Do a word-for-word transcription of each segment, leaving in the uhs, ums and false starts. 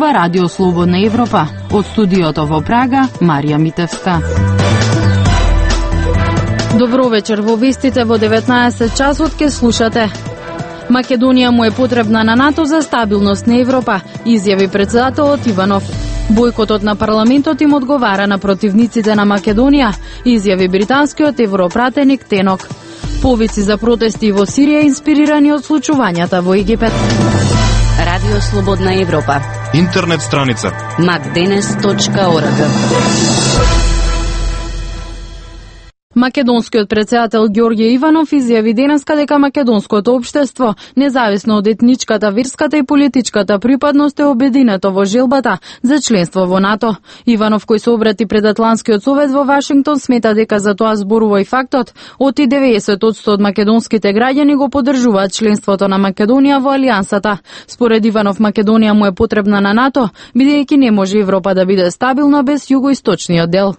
Ова Радио Слободна Европа. Од студиото во Прага, Марија Митевска. Добро вечер, во вестите во деветнаесет часот ке слушате. Македонија му е потребна на НАТО за стабилност на Европа, изјави претседателот Иванов. Бојкотот на парламентот им одговара на противниците на Македонија, изјави британскиот европратеник Тенок. Повици за протести во Сирија инспирирани од случувањата во Египет. Радио Слободна Европа. Интернет страница макденес точка орг. Македонскиот претседател Ѓорѓе Иванов изјави денеска дека македонското општество, независно од етничката, верската и политичката припадност, е обединето во желбата за членство во НАТО. Иванов, кој се обрати пред Атлантскиот совет во Вашингтон, смета дека за тоа зборува и фактот оти деветдесет одсто од македонските граѓани го поддржуваат членството на Македонија во алијансата. Според Иванов, Македонија му е потребна на НАТО, бидејќи не може Европа да биде стабилна без југоисточниот дел.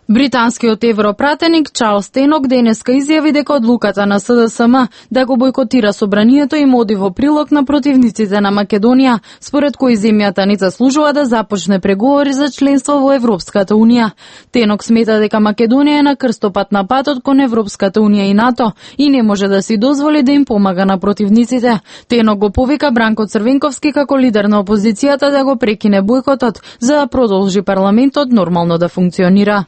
Британскиот европратеник Чарлс Тенок денеска изјави дека одлуката на С Д С М да го бојкотира собранието им оди во прилог на противниците на Македонија, според кој земјата не заслужува да започне преговори за членство во Европската Унија. Тенок смета дека Македонија е на крстопат на патот кон Европската Унија и НАТО и не може да си дозволи да им помага на противниците. Тенок го повика Бранко Црвенковски како лидер на опозицијата да го прекине бојкотот за да продолжи парламентот нормално да функционира.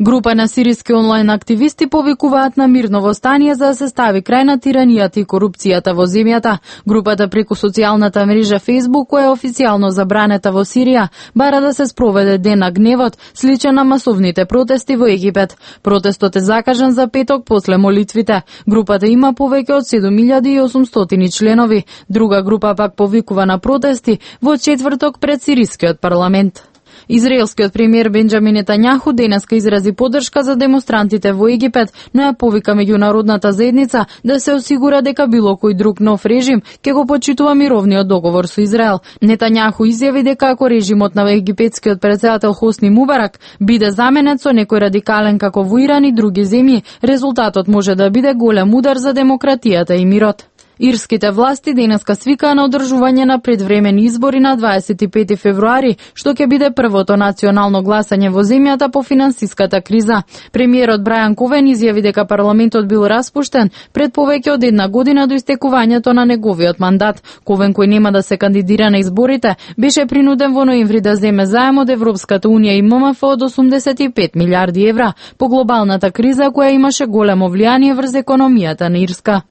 Група на сириски онлайн активисти повикуваат на мирно востание за да се стави крај на тиранијата и корупцијата во земјата. Групата преку социјалната мрежа Facebook, која е официјално забранета во Сирија, бара да се спроведе ден на гневот, сличен на масовните протести во Египет. Протестот е закажан за петок после молитвите. Групата има повеќе од седум илјади и осумстотини членови. Друга група пак повикува на протести во четврток пред сирискиот парламент. Израелскиот премиер Бенџамин Нетањаху денеска изрази поддршка за демонстрантите во Египет, но ја повика меѓународната заедница да се осигура дека било кој друг нов режим ќе го почитува мировниот договор со Израел. Нетањаху изјави дека ако режимот на египетскиот претседател Хосни Мубарак биде заменет со некој радикален како во Иран и други земји, резултатот може да биде голем удар за демократијата и мирот. Ирските власти денеска свикаа на одржување на предвремени избори на дваесет и пети февруари, што ќе биде првото национално гласање во земјата по финансиската криза. Премиерот Брајан Ковен изјави дека парламентот бил распуштен пред повеќе од една година до истекувањето на неговиот мандат. Ковен, кој нема да се кандидира на изборите, беше принуден во ноември да земе заем од Европската Унија и М М Ф од осумдесет и пет милиарди евра по глобалната криза која имаше големо влијание врз економијата на Ирска.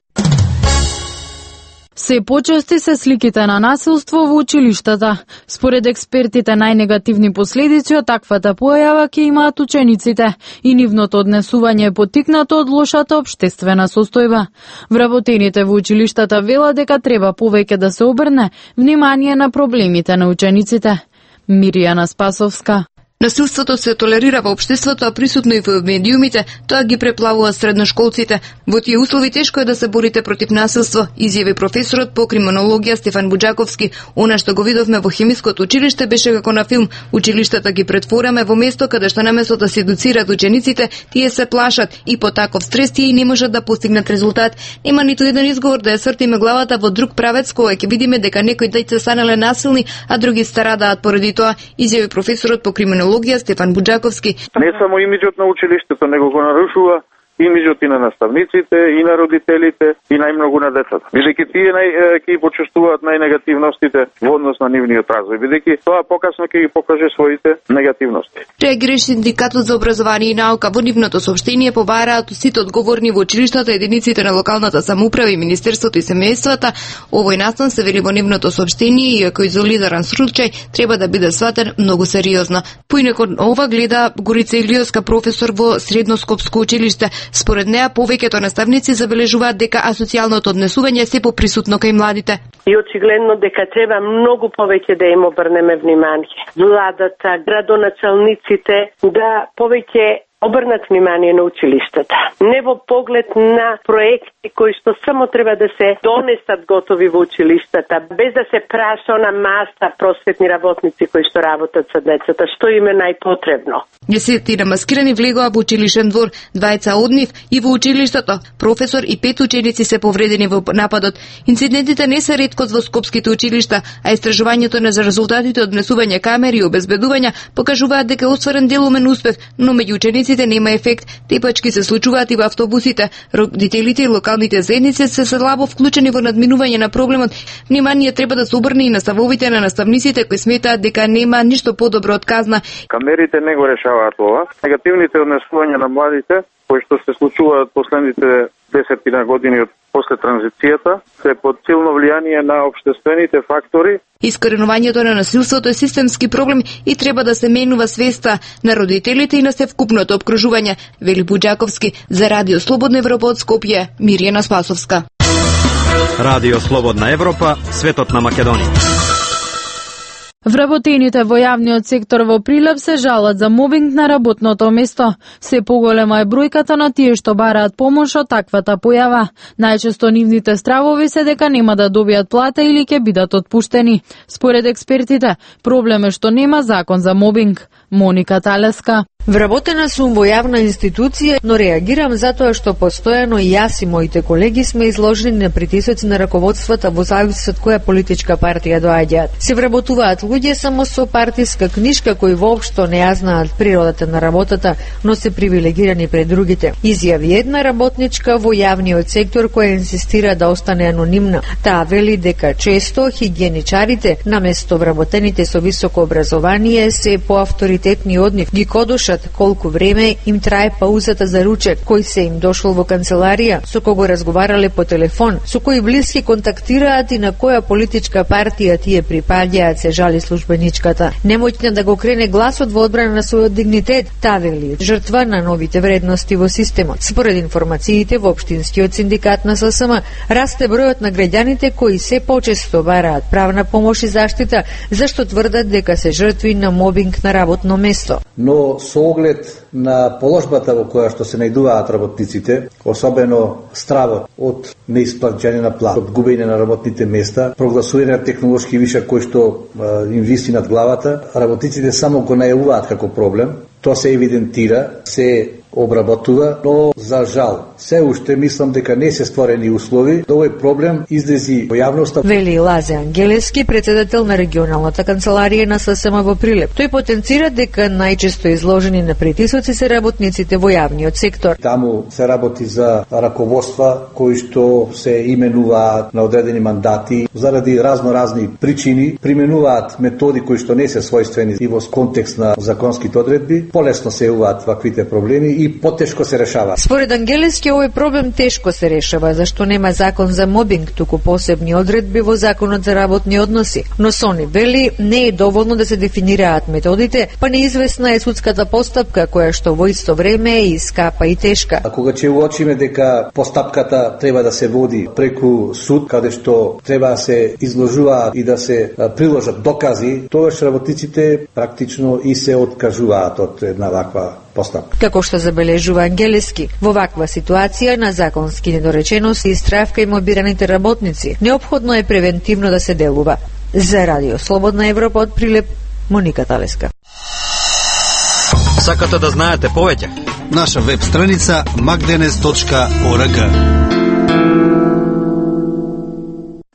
Се почести се сликите на насилство во училиштата. Според експертите, најнегативни последици од таквата појава ќе имаат учениците и нивното однесување е поттикнато од лошата општествена состојба. Вработените во училиштата велат дека треба повеќе да се обрне внимание на проблемите на учениците. Миријана Спасовска. Насилството се толерира во општеството, а присутно и во медиумите, тоа ги преплавува средношколците. Во тие услови тешко е да се борите против насилство, изјави професорот по криминологија Стефан Буџаковски. Она што го видовме во хемиското училиште беше како на филм. Училиштата ги претвораме во место каде што наместо да се едуцираат учениците, тие се плашат и по таков стрес тие не можат да постигнат резултат. Нема ниту еден изговор да ја свртиме главата во друг правец кога ќе видиме дека некои деца станале насилни, а други страдаат поради тоа, изјави професорот по криминологија Стефан Буџаковски. Не само имиджот на училиштето, него го нарушува имиджот и на наставниците, и на родителите, и најмногу на децата. Бидејќи тие нај, ќе ги почувствуваат најнегативностите во однос на нивниот развој, бидејќи тоа покасно ќе ги покаже своите негативности. Реагираше Синдикатот за образование и наука. Во нивното соопштение побараат сите одговорни во училиштата, единиците на локалната самоуправа и Министерството и семејствата. Овој настан се вели во нивното соопштение, иако изолиран случај, треба да биде сватен многу сериозно. Поинакот ова гледа Горица Илиовска, професор во Средноскопско училиште. Според неа, повеќето наставници забележуваат дека асоцијалното однесување се поприсутно кај младите. И очигледно дека треба многу повеќе да им обрнеме внимание. Владата, градоначалниците да повеќе обрнат внимание на училиштата. Не во поглед на проекти кои што само треба да се донесат готови во училиштата, без да се праша на маса просветни работници кои што работат со децата, што им е најпотребно. Десетина маскирани влегоа во училишен двор, двајца од нив и во училиштето. Професор и пет ученици се повредени во нападот. Инцидентите не се реткост во скопските училишта, а истражувањето на за резултатите од внесување камери и обезбедувања покажуваат дека е остварен делумен успех, но меѓу учениците нема ефект. Тепачки се случуваат и во автобусите. Родителите и локалните заедници се слабо вклучени во надминување на проблемот. Внимание треба да се обрне и на ставовите на наставниците кои сметаат дека нема ништо подобро од казна. Камерите не го решаваат ова. Негативните однесувања на младите кои што се случуваат последните десетина години од после транзицијата се под силно влијание на општествените фактори. Искоренувањето на насилството е системски проблем и треба да се менува свеста на родителите и на севкупното обкружување, вели Буџаковски за Радио Слободна Европа од Скопје, Мирјана Спасовска. Радио Слободна Европа, светот на Македонија. Вработените во јавниот сектор во Прилеп се жалат за мобинг на работното место. Се поголема е бројката на тие што бараат помош од таквата појава. Најчесто нивните стравови се дека нема да добијат плата или ќе бидат отпуштени. Според експертите, проблем е што нема закон за мобинг. Моника Талеска. Вработена сум во јавна институција, но реагирам затоа што постојано и јас и моите колеги сме изложени на притисоци на раководствата во зависност од која политичка партија доаѓаат. Се вработуваат луѓе само со партиска книшка кои воопшто не ја знаат природата на работата, но се привилегирани пред другите. Изјави една работничка во јавниот сектор која инсистира да остане анонимна. Таа вели дека често хигиеничарите, наместо вработените со високо образование, се поавторитетни од нив, ги кодушат колку време им трае паузата за ручек, кој се им дошол во канцеларија, со кого разговарале по телефон, со кои блиски контактираат и на која политичка партија тие припаѓаат, се жали службеничката. Немоќна да го крене гласот во одбрана на својот дигнитет, таа вели жртва на новите вредности во системот. Според информациите во Општинскиот синдикат на ССМ, расте бројот на граѓаните кои се почесто бараат правна помош и заштита, зашто тврдат дека се жртви на мобинг на работно место. Но со оглед на положбата во која што се најдуваат работниците, особено стравот од неисплаќање на плата, од губење на работните места, прогласување на технолошки вишок кој што е, им виси над главата, работниците само го најавуваат како проблем, тоа се евидентира, се обработува, но за жал, се уште мислам дека не се створени услови да овој проблем излези во јавноста. Вели Лазе Ангелевски, председател на регионалната канцеларија на ССМ во Прилеп. Тој потенцира дека најчесто изложени на притисоци се работниците во јавниот сектор. Таму се работи за раководства кои што се именуваат на одредени мандати заради разно-разни причини, применуваат методи кои што не се својствени и во контекст на законските одредби, полесно се јавуваат ваквите проблеми и потешко се решава. Според Ангелевски, овој проблем тешко се решава, зашто нема закон за мобинг, туку посебни одредби во законот за работни односи. Но Сони вели, не е доволно да се дефинираат методите, па неизвестна е судската постапка, која што во исто време е и скапа и тешка. А кога ќе уочиме дека постапката треба да се води преку суд, каде што треба да се изложуваат и да се приложат докази, тогаш работниците практично и се откажуваат од една ваква постапка. Како што забележува Ангелевски, во ваква ситуација на законски недоречености и стравка и мобираните работници, неопходно е превентивно да се делува. За Радио Слободна Европа од Прилеп, Моника Талеска. Сакате да знаете повеќе? Наша веб страница макденес точка орг.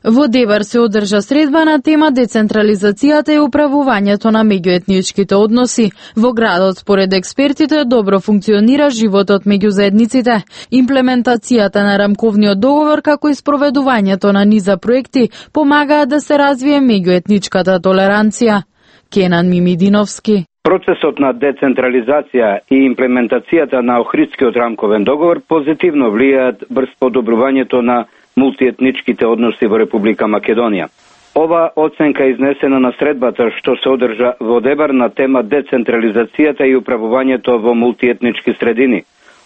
Во Дебар се одржа средба на тема децентрализацијата и управувањето на меѓуетничките односи. Во градот, според експертите, добро функционира животот меѓу заедниците. Имплементацијата на рамковниот договор, како и спроведувањето на низа проекти, помагаат да се развие меѓуетничката толеранција. Кенан Мимидиновски. Процесот на децентрализација и имплементацијата на Охридскиот рамковен договор позитивно влијаат врз подобрувањето на мултиетничките односи во Република Македонија. Ова оценка е изнесена на средбата што се одржа во Дебар на тема децентрализацијата и управувањето во мултиетнички средини.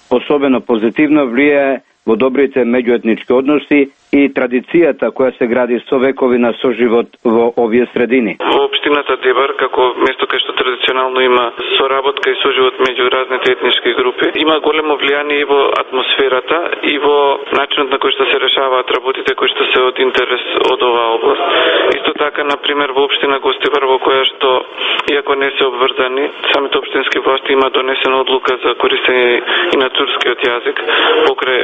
Особено позитивно влијае во добрите меѓуетнички односи и традицијата која се гради со векови на соживот во овие средини. Во општината Дебар, како место кај што традиционално има соработка и соживот меѓу разните етнички групи, има големо влијание и во атмосферата и во начинот на кој што се решаваат работите кои што се од интерес од оваа област. Исто така, на пример, во општина Гостивар, во која што, иако не се обврзани, самите општински власти има донесена одлука за користење и на турскиот јазик покрај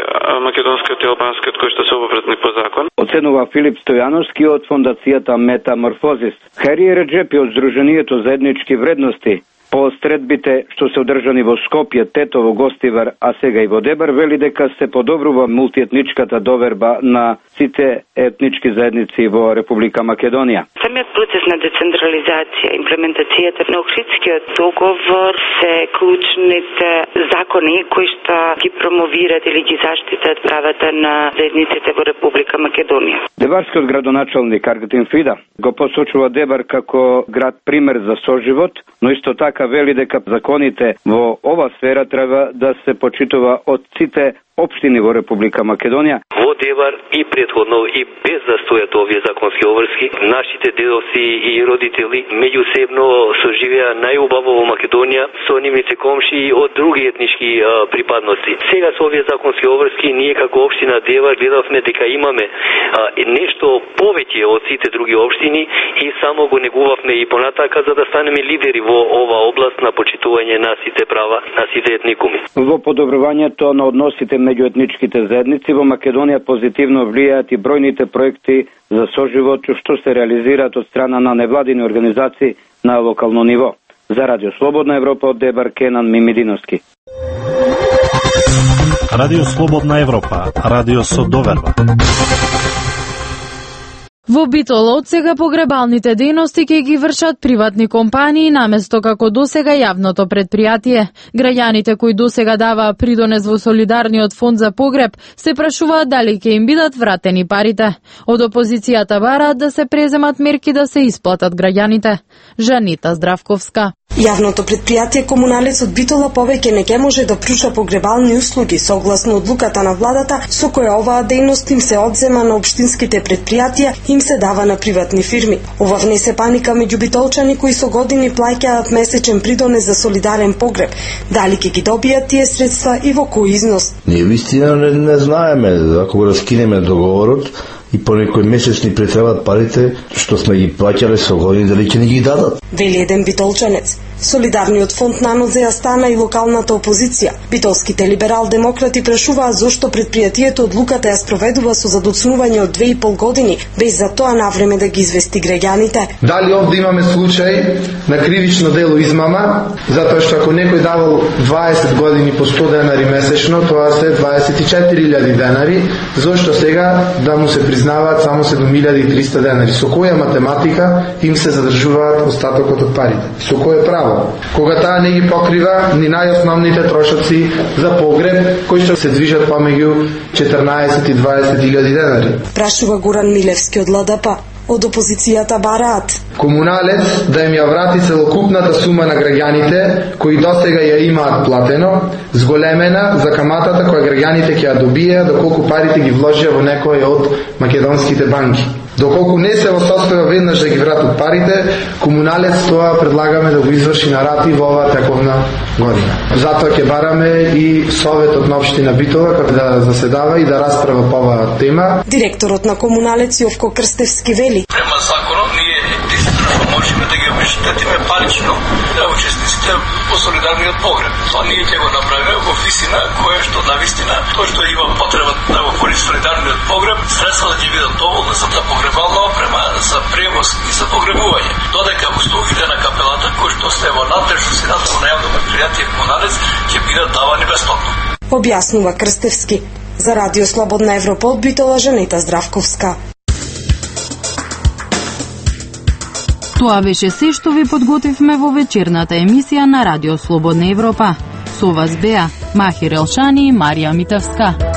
македонскиот и албанскиот кои што се обврзани по закон. Оценува Филип Стојановски од фондацијата Метаморфозис. Хари Реджепи од Сдруженијето за етнички вредности по средбите што се одржани во Скопје, Тетово, Гостивар, а сега и во Дебар, вели дека се подобрува мултиетничката доверба на сите етнички заедници во Република Македонија. Самиот процес на децентрализација, имплементацијата на Охридскиот договор се клучните закони кои што ги промовираат или ги заштитат правата на заедниците во Република Македонија. Дебарскиот градоначалник Аргатин Фида го посочува Дебар како град пример за соживот, но исто така вели дека законите во ова сфера треба да се почитува од сите општини во Република Македонија. Во Дебар и претходно и без да стојат овие законски обврски, нашите дедовци и родители меѓусебно соживеа најубаво во Македонија со нивните комши од други етнички а, припадности. Сега со овие законски обврски ние како општина Дебар гледавме дека имаме а, нешто повеќе од сите други општини и само го негувавме и понатака за да станеме лидери во ова област на почитување на сите права на сите етникуми. Во подобрувањето на односите меѓу етничките заедници во Македонија позитивно влијаат и бројните проекти за соживот што се реализираат од страна на невладини организации на локално ниво. За Радио Слободна Европа од Дебар, Кенан Мимидиновски. Радио Слободна Европа, радио со доверба. Во Битола од сега погребалните дејности ќе ги вршат приватни компании наместо како досега јавното предпријатие. Граѓаните кои досега даваа придонес во солидарниот фонд за погреб се прашуваат дали ќе им бидат вратени парите. Од опозицијата бараат да се преземат мерки да се исплатат граѓаните. Жанита Здравковска. Јавното предпријатие Комуналец од Битола повеќе не ќе може да пруžа погребални услуги согласно одлуката на владата со која оваа дејност им се одзема на општинските предпријатија и им се дава на приватни фирми. Ова внесе паника меѓу битолчани кои со години плаќаат месечен придонес за солидарен погреб. Дали ќе ги добијат тие средства и во кој износ? Ние вистина не, не знаеме, ако го раскинеме договорот и по некој месец ни претребаат парите што сме ги плаќале со години, дали ќе ни ги дадат? Вели еден битолчанец. Солидарниот фонд нанозе ја стана и локалната опозиција. Битолските либерал-демократи прашуваа зошто предпријатието одлуката ја спроведува со задоцнување од две и пол години, без за тоа навреме да ги извести граѓаните. Дали овде имаме случај на кривично дело измама, затоа што ако некој давал дваесет години по сто денари месечно, тоа се дваесет и четири илјади денари, зошто сега да му се признаваат само седум илјади и триста денари? Со која математика им се задржуваат остатокот од парите? Со кој право? Кога таа не ги покрива ни најосновните трошоци за погреб, кои што се движат помеѓу четрнаесет и дваесет илјади денари. Прашува Горан Милевски од Л Д П. Од опозицијата бараат Комуналец да им ја врати целокупната сума на граѓаните кои досега ја имаат платено, зголемена за каматата која граѓаните ќе ја добијат доколку парите ги вложија во некој од македонските банки. Доколку не се во состојба веднаш да ги вратат парите, Комуналец тоа предлагаме да го изврши на рати во оваа тековна година. Затоа ќе бараме и Советот на општина Битола како да заседава и да расправа по оваа тема. Директорот на Комуналец Јовко Крстевски вели: Према законот ние единствено можеме да ги обештетиме парично учесниците во солидарниот погреб. Тоа ние ќе го направиме во висина која што навистина тоа што има потреба да го користи солидарниот погреб, средства да ќе бидат доволни за да погребална опрема, за превоз и за погребување. Додека услугите на капелата кои што се во надлежност на јавно предпријатие Комуналец ќе бидат давани бесплатно. Објаснува Крстевски. За Радио Слободна Европа од Битола, Жанита Здравковска. Тоа беше се што ви подготвивме во вечерната емисија на Радио Слободна Европа. Со вас беа Махир Елшани и Марија Митевска.